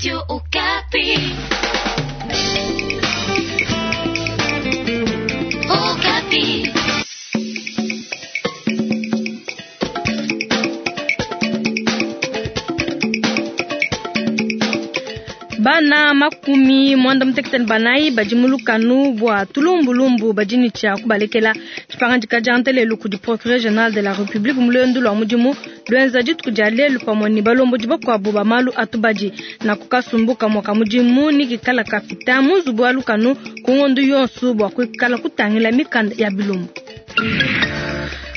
Radio Okapi. Okapi. Bana makumi mwanda mutekete ne banayi badi mu lukanu bua tulumbulumbu badi ne tshia kubalekela. Tshipangadika dia ntelelu kudi procureur general de la republique mu luendu lua mudimu luenza dituku dia lelu pamue ne balombodi bakuabu ba malu a tubadi. Naku kasumbu kamue ka mudimu ne kikala kapita mu nzubu wa lukanu ku ngondo yonso bua kuikala kutangila mikanda ya bilumbu.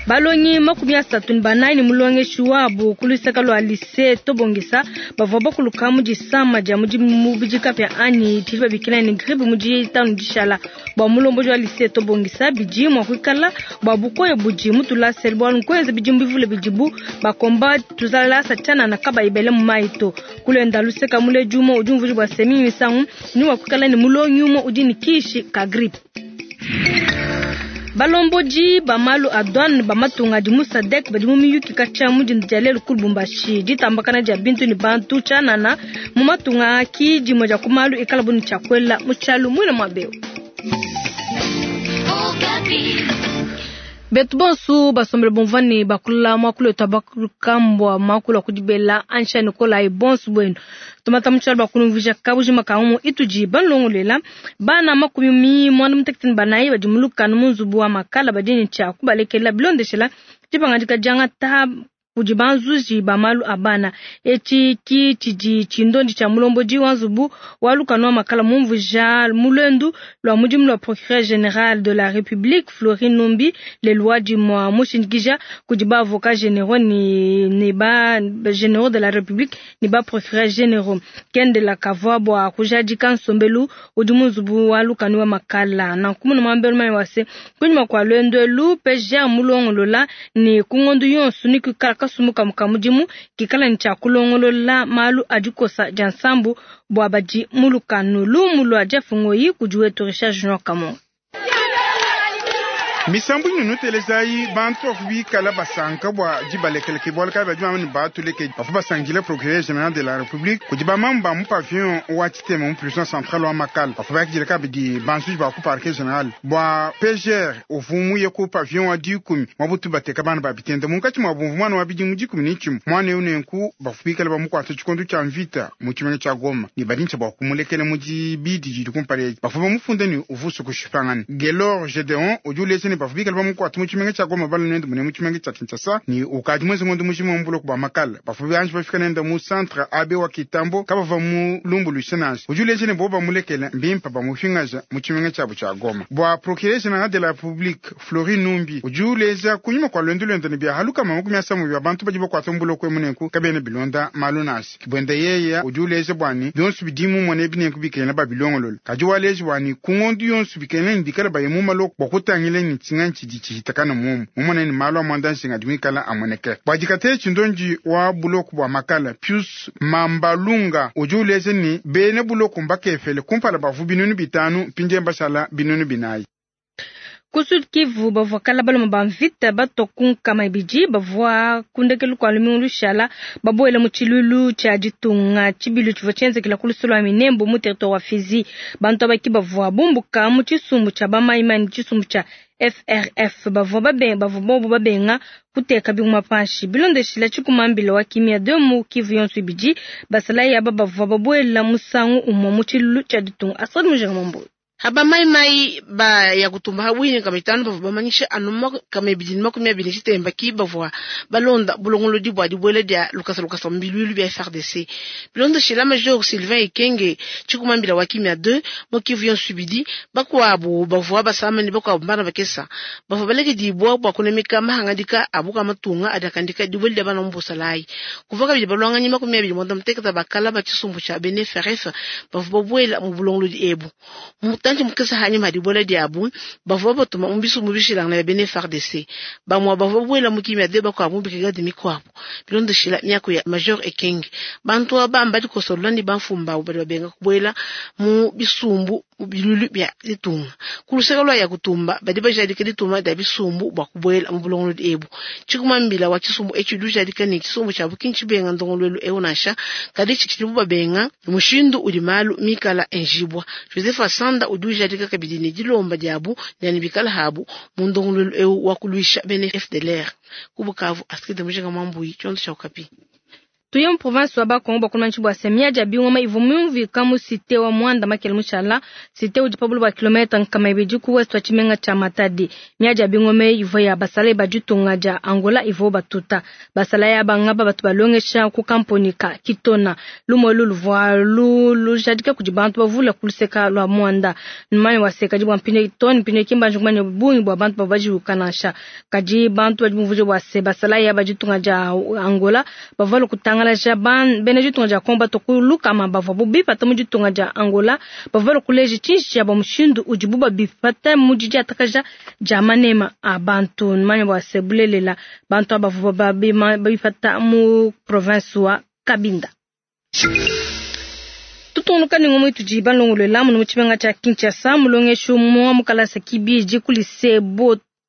Balongi 34 ne mulongeshi wabu ku luseke lua lycée Tobongisa bavua bakuluka mu disama dia mubidi kapia anyi tshidi babikila ne grippe mu ditanu dishala. Bua mulombodi wa lycée Tobongisa bidi mua kuikala bua bukoya budi mu tulasa bualu nkuenza bidimu bivule bidibu bakomba tuzalasa tshianana kabayi bele mu mayi to. Kulenda luseka muledi umue udi umvuija bua se mingi misangu ni mua kuikala ne mulongi umue udi ne kishi ka grippe. Balombodi ba malu a douane ba matunga adi mu SADC badi mu miyuki katshia mu dinda dia lelu ku Lubumbashi. Ditambakana dia bintu ne bantu tshianana mu matunga aki dimue dia ku malu ikala bu ne tshia kuela mu tshialu muine mua beu. Betu bonso basombele bumvua ne bakula muakulu wetu abakukambua muakulu wa kudibela ansha Nikolayi bonso buenu. Tumata mu tshialu bakunumvuija kabujima ka umu itudi balongolela bana 34 badi mu lukanu mu nzubu wa makala badi ne tshia kubalekela bilondeshela dipangadika diangata kudi banzuji ba malu a bana. Etshi ki tshidi tshindondi tshia mulombodi wa nzubu wa lukanu wa makala mumvuija mu luendu lua mudimu lua procureur general de la République Florine Numbi lelu wa dimua mushindikija kudi ba avocats généraux ne ba généraux de la République ne ba procureur généraux. Kendela kavua bua kujadika nsombelu udi mu nzubu wa lukanu wa makala. Nanku munu muambelu manyi wa se kunyima kua luendu elu PGR mulongolola ne ku ngondo yonso ne kuikala kasumbu kamue ka mudimu kikala ne tshia kulongolola malu a dikosa dia nsambu bua badi mu lukanu. Lumu lua Jeff Ngoyi kudi wetu Richard Junior Kamongo. Misambu inunu telezayi bantu bavua bikala basanka bua dibalekeleke bualu kayi badi bamba ne batulekedi bavua basangile procureur general de la republique kudi bamamu ba mu pavillon wa tshitema mu prison centrale wa Makala bavua bakidila kabidi banzuji ba ku parquet general bua PGR uvua muye ku pavillon wa 10 mwa butu bateka bana ba bitende munkatshi mua bumvu mwana wa bidimu 11 mwana eu nenku bavua bikala bamukuata tshikondo tshia mvita mu tshimenga tshia Goma ne badi bua kumulekela mu dibidi didi kumpala edi bavua bamufunda ne uvusu kushipangana. Gelor Gedeon udi uleja ne bavua bikala bamukuata mu tshimenga tshia Goma bala nende mune mu tshimenga tshia Kinshasa ne ukadi muenze ngondo mujima mu buloko bua Makala bavua banji bafika nende mu centre AB wa Kitambo kabavua mu lumbuluisha nansha. Udi uleja ne bo bamulekela mbimpa bamufingaja mu tshimenga tshiabu tshia Goma. Bua procureur general de la Republique Florine Numbi udi uleja kunyima kua luendu luende ne bia halukama 30 bia bantu badi bakuata mu buloko emu nenku kabena bilonda malu nansha. Kibwenda yeya udi uleja bua ne bionso bidimu mone binenku bikena babilongolola kadi waleja bua ne ku ngondo yonso bikena ne bikala baye mu maloko bua kutangila ne tshinga tshidi tshihitakana muomu mumone ne malu a muanda nshinga adi muikala amoneke. Bua dikata tshindondi wa buloko bua Makala Pius Mambalunga udi uleja ne bena buloko mbakefele kumpala bavu 500 mpindie mbashala 400. Ku Sud Kivu bavua kala baloma ba mvita batua ku 200 bavua kundekelu kua lumingu lushala babuela mu tshilulu tshia ditunga tshibilu tshivua tshienzekela ku lusolo lua Minembwe mu territoire wa Fizi. Bantu abaki bavua bumbuka mu tshisumbu tshia bamaimani tshisumbu tshia FRF bavua babenga bavua bobo babenga kuteka binguma panshi bilondeshila tshikumambila wa kimia de mu Kivu yonso ibidi basalayi aba bavua babuela musangu umue mu tshilulu tshia ditunga. Asad Mujanga Mambo. Haba mai mai ba ya kutumba habwine 500 bavua bamanyisha anu 220 tshitemba ki bavua balonda bulongolodi bua dibuela dia lukasa lukasa mbilwilu bia FRDC. Bilondeshela Major Sylvain Ikenge tshikumambila wa kimia 2 mu Kivu yonso ibidi bakuabu bavua basama ne bakuabu bana bakesa bavua balekedibwa bua kunemeka mahangadika abuka matunga adakandika dibuela dia bana mu busalayi. Kuva kabidi balwanganyi 29 bakala ba tshisumbu tshia bene FRF bavua babuela mu bulongolodi ebu. Mutanji mukesa hanyuma dibuela diabu bavua batuma mu bisumbu bishilangana bia bene FARDC bamwe bavua babuela mu kimia de bakuabu mu brigade mikuabu bilondeshela miaku ya Major Ekenge. Bantu aba mbadikosolola ne bamfumbu badi babenga kubuela mu bisumbu Mu bilulu bia ditunga. Ku luseke lua Yakutumba badi bajadika dituma dia bisumbu bua kubuela mu bulongolodi ebu. Tshikuma mbila wa tshisumbu etshi udi ujadika ne tshisumbu tshiabu ki ntshibenga ndongoluelu eu nansha, kadi tshidibu babenga mushindu udi malu mikala enjibua. Joseph Asanda udi ujadika kabidi ne dilomba diabu dia ne bikala habu mu ndongoluelu eu wa kuluisha bena FDLR. Ku Bukavu, Astrid Mujinga Mwambuyi, tshiondo tshia Okapi. Tuye mu province wa Bakongo bakulmanshi bua se miadi ya bingoma ivua miumvuika mu cité wa Mwanda Makele mushala. Cité udi pa bule bua kilomètre 200 ku ouest wa tshimenga tshia Matadi. Miadi ya bingoma ivua ya basalayi ba ditunga dia Angola ivua batuta. Basalayi aba ngaba batu balongesha ku kamponi ka Kitona. Lumu elu luvua lujadika kudi bantu bavule ku luseka lua Mwanda. Numanye wa se kadi bua mpindieu too ne mpindieu ki mbanji kumanya bungi bua bantu bavua bajiwuka nansha. Kadi bantu badi bumvuija bua se basalayi aba ditunga dia Angola bavua balue kutangalaja bena ditunga dia Kongo batua ku lukama bavuabu bipata mu ditunga dia Angola bavua balue kuleja tshinji tshiabu mushindu udibu babipata mu didiatakaja dia manema a bantu. Numanye bua se bulelela bantu aba bavua babipata mu province wa Kabinda. Tutungunuka ne ngumu itudi balongolola muno mu tshimenga tshia Kinshasa. Mulongeshi umue wa mu kalasa kibidi ku lycée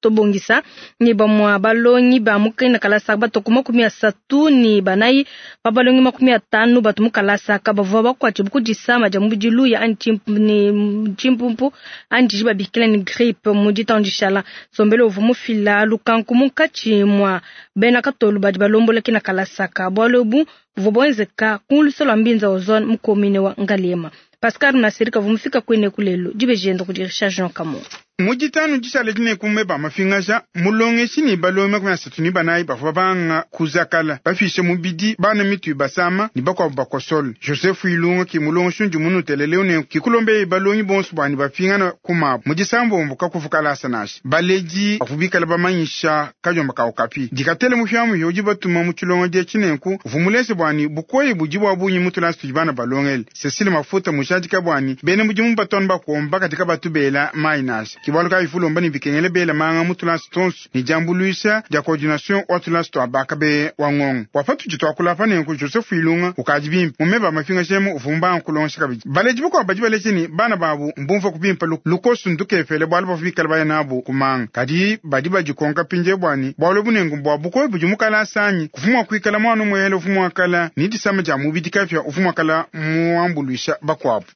Tobongisa ne bamue balongi ba mu kena kalasa batua ku 34 pa balongi 50 batu mu kalasa aka bavua bakuatshibue ku disama dia mubidi luya anyi ne tshimpumpu anyi didi babikila ne grippe mu ditanu dishala. Nsombelu uvua mufila lukanku munkatshi mua bena katolu badi balombola kena kalasa aka. Bualu ebu buvua buenzeka ku luse lua Mbinza Ozone mu commune wa Ngaliema. Pascal Masirika uvua mufika kuine ku lelu dibeji enda kudi Richard Jean Kamo. Mu ditanu dishala dine ku meba mafingaja mulongeshi ne balongi 34 bavua banga kuzakala bafishe mubidi bana mitu basama ne bakuabu bakosole. Joseph Ilunga ki mulongeshi ndi munutelele ne kikulombeye balongi bonso bwani bafingana kumabu mu disambombo kakuvukalasa nashi baledi bavua bikala bamanyisha kajomba ka Okapi dikatele mufyamu udi batuma mu tshilongo dia tshinenku uvumulese bwani bukoyi budi bwa bunyi mutulasi tudi bana balongele. Cecile Mafuta mujadika bwani bena mudimu batonu bakomba katika batubela mai nashi kibalu ka ifulomba ni bikengele bela manga mutulasi tonso ni jambuluisha dia coordination wa tulasi twa bakabe wa ngongo wapatu jitwa nenku Joseph Ilunga ukaji bimpe mumeba mafinga shemu uvumba nkulongesha kabidi baleji buko baji baleji ni bana babu mbumva kubimpa lukosu ndukefele bwalu bafikala baya nabo kumanga kadi badi bajikonka pinje bwani bwalu bunengu bwa bukoyi budi mukala sanyi kufumwa kuikala mwana mwele ufumwa kala ni disama ja mubidi kafya ufumwa kala muambuluisha bakwabu.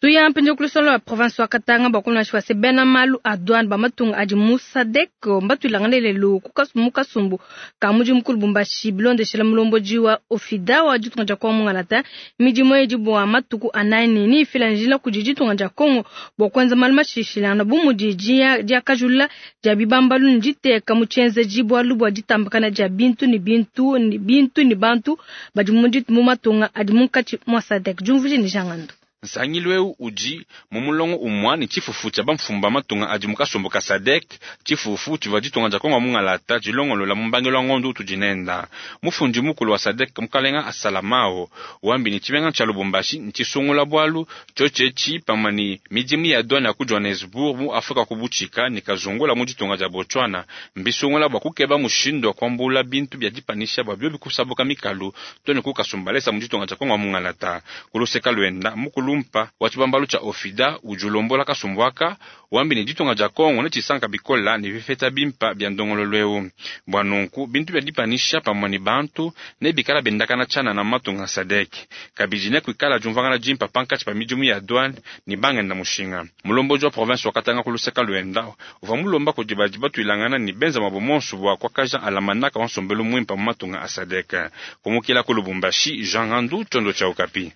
Tuya mpinjo kulusolo wa province wa Katanga bakuna shwa se bena malu a douane ba matunga adi Musadek mbatwilangane lelu mukasumbu ka muji mukulu Lubumbashi bilondeshela mulomboji wa ofida wa ditunga dia Kongo mungalata midimu edi bua matuku anayi ni ifila njila kudi ditunga dia Kongo bua kuenza malu mashishilana bu mudi diakajula dia bibambalu ne diteka mu tshienzeji bualu bua ditambakana dia bintu ne bintu ne bintu ne bantu badi mu matunga adi munkatshi mua Sadek. Diumvuije ne Jangando. Nsangilu eu udi mu mulongo umwa ne tshifufu tshia bamfumba matunga adi mu kasumbu ka SADC, tshifufu tshivua ditunga dia Kongo mungalata dilongolola mu mbangelo wa ngondo utudi nenda. Mufundi mukulu wa SADC mukalenga Asalamao wambi ne tshimenga tshia Lubumbashi ntshisungula bualu tshiotshetshi pamue ne midimu ya douane ya ku Johannesburg mu Afrika ku butshika ne kazungula mu ditunga dia Botswana mbisungula bua kukeba mushindu wa kuambula bintu bia dipanisha bua biobi kusabuka mikalu to ne kukasumbalesa mu ditunga dia Kongo mungalata. Kuluseka lwenda mukulu mpa wa tshibambalu tshia ofida udi ulombola kasumbu aka wambi ne ditunga dia Kongo ne tshisanka bikola ne bifeta bimpa bia ndongololo eu. Bua nunku bintu bia dipanisha pamue ne bantu ne bikala bendakana tshianana mu matunga a SADC. Kabidi ne kuikala diumvuangana dimpa pankatshi pa midimu ya douane ne bangenda mushinga. Mulomboji wa province wa Katanga ku luseka lwenda uvua mulomba kudi badi batuilangana ne benza mabo monso bua kuakaja alamanaka wa nsombelu muimpa mu matunga a SADC. Kumukila ku Lubumbashi, Jean Gandu, tshiondo tshia Okapi.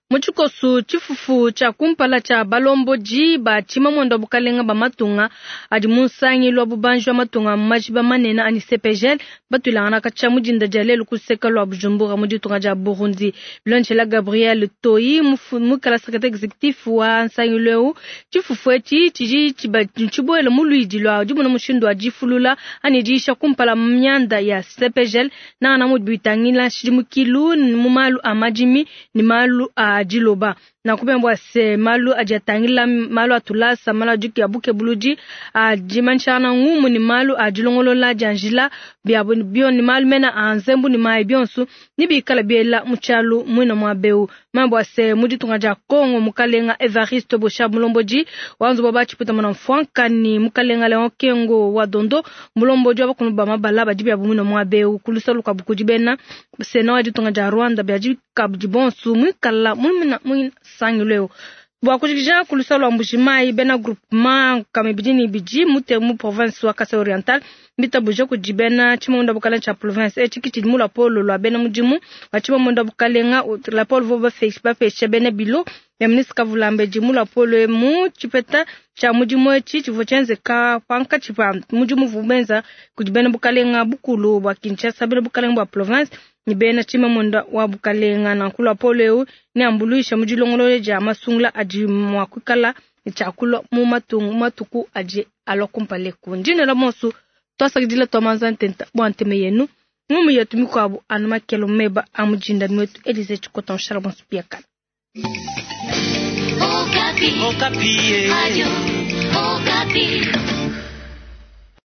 Mu tshikosu tshifufu tshia kumpala tshia balomboji ba tshimamwendo wa bukalenga ba matunga adi mu nsangilu wa bubanji wa matunga majiba manene anyi CPGL batuilangana katshia mu dinda dia lelu kuseka lua Bujumbura mu ditunga dia Burundi. Bilondeshela Gabriel Toyi mukala secrétaire exécutif wa nsangilu eu tshifufu etshi tshidi tshibuela mu luidi lua dimona mushindu wa difulula anyi diisha kumpala mianda ya CPGL nangana mudi bitangila nshidimukilu mu malu a madimi ne malu a diloba. Nanku bua se malu adi atangila malu a tulasa, malu a ya bukebuludi, a dimanyishangana ngumu ne malu a dilongolola dia njila biabo bio ne malu mena a nzembu ne mayi bionso ne bikala biela mu tshialu muina muaba eu. Bua se mu ditunga dia Kongo mukalenga Evariste Boshab mulombodi wa nzubu wa batshipuita muna mfuanka ne mukalenga Leon Kengo wa Dondo mulombodi wa bakulu ba mabala badi biabo muina muaba eu ku lusa lukuabu kudi bena Sena wa ditunga dia Rwanda biadi kabidi bonso muikala muina musangilu eu. Bua kujikija ku lusa lua Mbujimayi bena groupement kamibidi ne ibidi mute mu province wa Kasai Oriental mbitabuja kudi bena tshimamunda bukalenga tshia province etshi kitshidi mu lapolo lua bena mudimu wa tshimamunda bukalenga lapolo vo bapesha bena bilo ya ministre Kavulambedi mu lapolo emu tshipeta tshia mudimu etshi tshivua tshienzeka pankatshi pa mudimu uvua benza kudi bena bukalenga bukulu bua Kinshasa, bena bukalenga bua province ne bena tshimamunda wa bukalenga. Nanku lapolo eu neambuluisha mu dilongolola dia masungula adi mua kuikala ne tshiakulua mu matuku adi alua kumpala eku. Ndinela monsu twasakidila twamanza ntenta bua nteme yenu ngumu yetu mikuabu anu makelo meba a mujinda nwetu Elize Tshikota nshala bonso biakala. Okapi. Okapi. Radio Okapi.